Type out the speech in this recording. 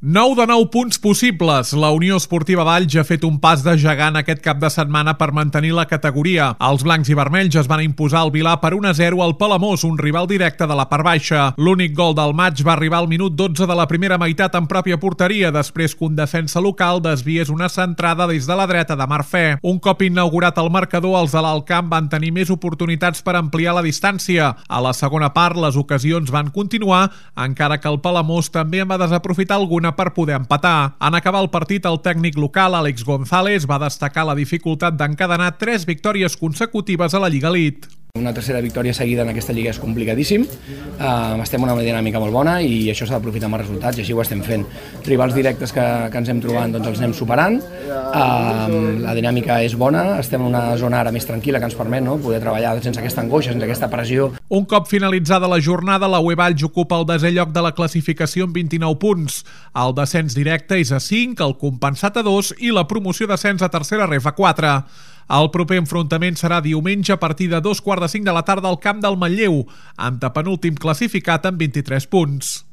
9 de 9 punts possibles. La Unió Esportiva Valls ha fet un pas de gegant aquest cap de setmana per mantenir la categoria. Els blancs i vermells es van imposar al Vilar per 1-0 al Palamós, un rival directe de la part baixa. L'únic gol del maig va arribar al minut 12 de la primera meitat en pròpia porteria, després que un defensa local desviés una centrada des de la dreta de Marfè. Un cop inaugurat el marcador, els de l'Alt Camp van tenir més oportunitats per ampliar la distància. A la segona part, les ocasions van continuar, encara que el Palamós també en va desaprofitar alguna per poder empatar. En acabar el partit, el tècnic local, Àlex González, va destacar la dificultat d'encadenar 3 victòries consecutives a la Lliga Elite. Una tercera victòria seguida en aquesta lliga és complicadíssim, estem en una dinàmica molt bona i això s'ha d'aprofitar amb els resultats i així ho estem fent. Rivals directes que ens hem trobat doncs els anem superant, la dinàmica és bona, estem en una zona ara més tranquil·la que ens permet poder treballar sense aquesta angoixa, sense aquesta pressió. Un cop finalitzada la jornada, la UE Valls ocupa el 10è lloc de la classificació amb 29 punts. El descens directe és a 5, el compensat a 2 i la promoció d'ascens a tercera ref a 4. El proper enfrontament serà diumenge a partir de 2:45 de la tarda al camp del Manlleu, antepenúltim classificat amb 23 punts.